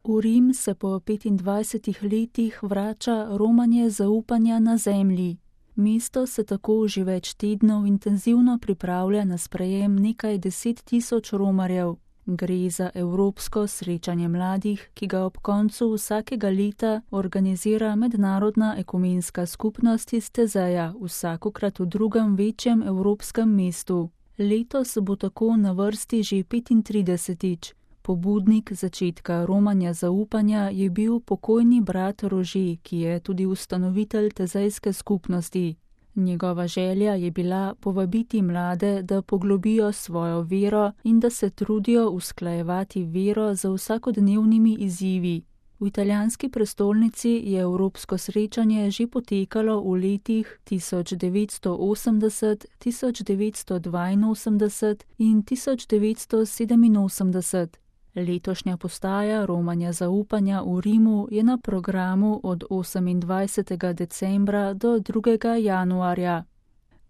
V Rim se po 25 letih vrača romanje zaupanja na zemlji. Mesto se tako že več tednov intenzivno pripravlja na sprejem nekaj 10.000 romarjev. Gre za evropsko srečanje mladih, ki ga ob koncu vsakega leta organizira Mednarodna ekumenska skupnost iz Tezeja, vsakokrat v drugem večjem evropskem mestu. Letos bo tako na vrsti že 35. Pobudnik začetka romanja zaupanja je bil pokojni brat Rože, ki je tudi ustanovitelj tezejske skupnosti. Njegova želja je bila povabiti mlade, da poglobijo svojo vero in da se trudijo usklajevati vero za vsakodnevnimi izzivi. V italijanski prestolnici je evropsko srečanje že potekalo v letih 1980, 1982 in 1987. Letošnja postaja romanja zaupanja v Rimu je na programu od 28. decembra do 2. januarja.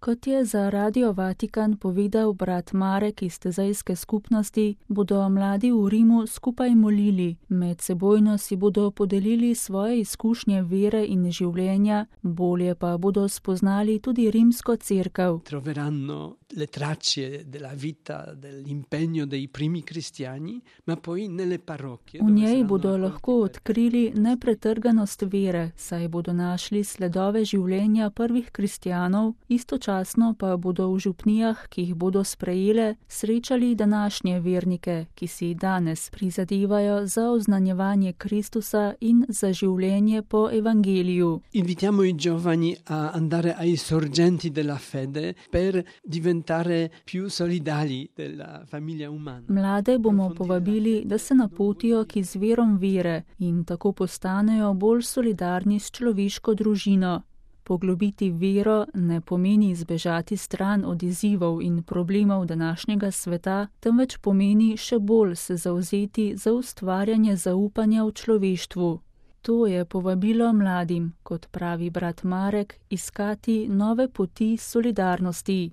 Kot je za Radio Vatikan povedal brat Marek iz tezejske skupnosti, bodo mladi v Rimu skupaj molili, medsebojno si bodo podelili svoje izkušnje vere in življenja, bolje pa bodo spoznali tudi rimsko cerkev. Troveranno le tracce della vita, dell'impegno dei primi cristiani, ma poi nelle parrocchie. V njej bodo lahko odkrili nepretrganost vere, saj bodo našli sledove življenja prvih kristjanov, istočasno pa bodo v župnijah, ki jih bodo sprejele, srečali današnje vernike, ki si danes prizadevajo za oznanjevanje Kristusa in za življenje po evangeliju. Invitiamo i giovani a andare ai sorgenti della fede per diventare più solidali della famiglia umana. Mlade bomo povabili, da se napotijo k izvirom vere in tako postanejo bolj solidarni s človeško družino. Poglobiti vero ne pomeni zbežati stran od izzivov in problemov današnjega sveta, temveč pomeni še bolj se zavzeti za ustvarjanje zaupanja v človeštvu. To je povabilo mladim, kot pravi brat Marek, iskati nove poti solidarnosti.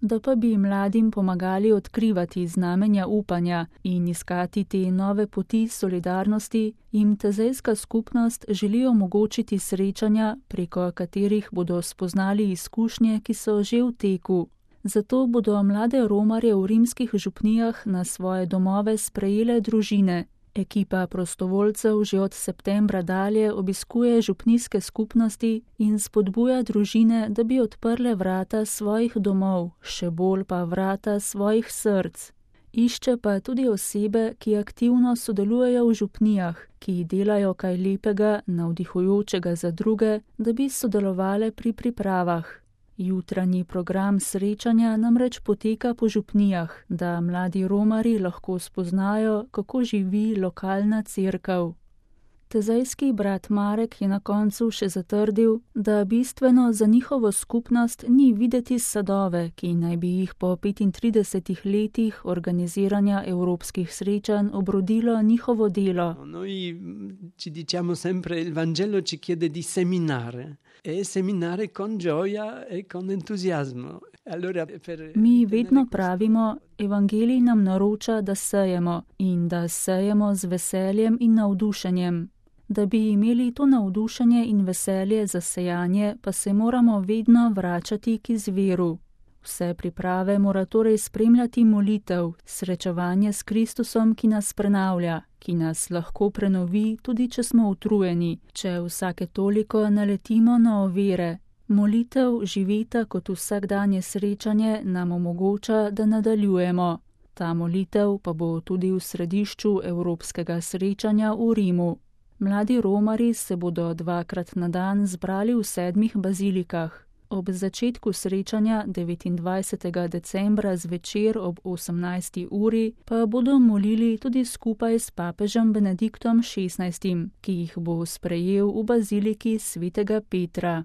Da pa bi mladim pomagali odkrivati znamenja upanja in iskati te nove poti solidarnosti, jim tezejska skupnost želi omogočiti srečanja, preko katerih bodo spoznali izkušnje, ki so že v teku. Zato bodo mlade romarje v rimskih župnijah na svoje domove sprejele družine. Ekipa prostovoljcev že od septembra dalje obiskuje župnijske skupnosti in spodbuja družine, da bi odprle vrata svojih domov, še bolj pa vrata svojih src. Išče pa tudi osebe, ki aktivno sodelujejo v župnijah, ki delajo kaj lepega, navdihujočega za druge, da bi sodelovale pri pripravah. Jutranji program srečanja namreč poteka po župnijah, da mladi romarji lahko spoznajo, kako živi lokalna cerkev. Tezejski brat Marek je na koncu še zatrdil, da bistveno za njihovo skupnost ni videti sadove, ki naj bi jih po 35 letih organiziranja evropskih srečanj obrodilo njihovo delo. Noi ci diciamo sempre il Vangelo ci chiede di seminare e seminare con gioia e con entusiasmo. Mi vedno pravimo, evangelij nam naroča, da sejemo in da sejemo z veseljem in navdušenjem. Da bi imeli to navdušenje in veselje za sejanje, pa se moramo vedno vračati k izviru. Vse priprave mora torej spremljati molitev, srečevanje s Kristusom, ki nas prenavlja, ki nas lahko prenovi, tudi če smo utrujeni, če vsake toliko naletimo na ovire. Molitev živita kot vsakdanje srečanje nam omogoča, da nadaljujemo. Ta molitev pa bo tudi v središču evropskega srečanja v Rimu. Mladi romarji se bodo 2-krat na dan zbrali v 7 bazilikah. Ob začetku srečanja 29. decembra zvečer ob 18. uri pa bodo molili tudi skupaj s papežem Benediktom XVI, ki jih bo sprejel v baziliki svetega Petra.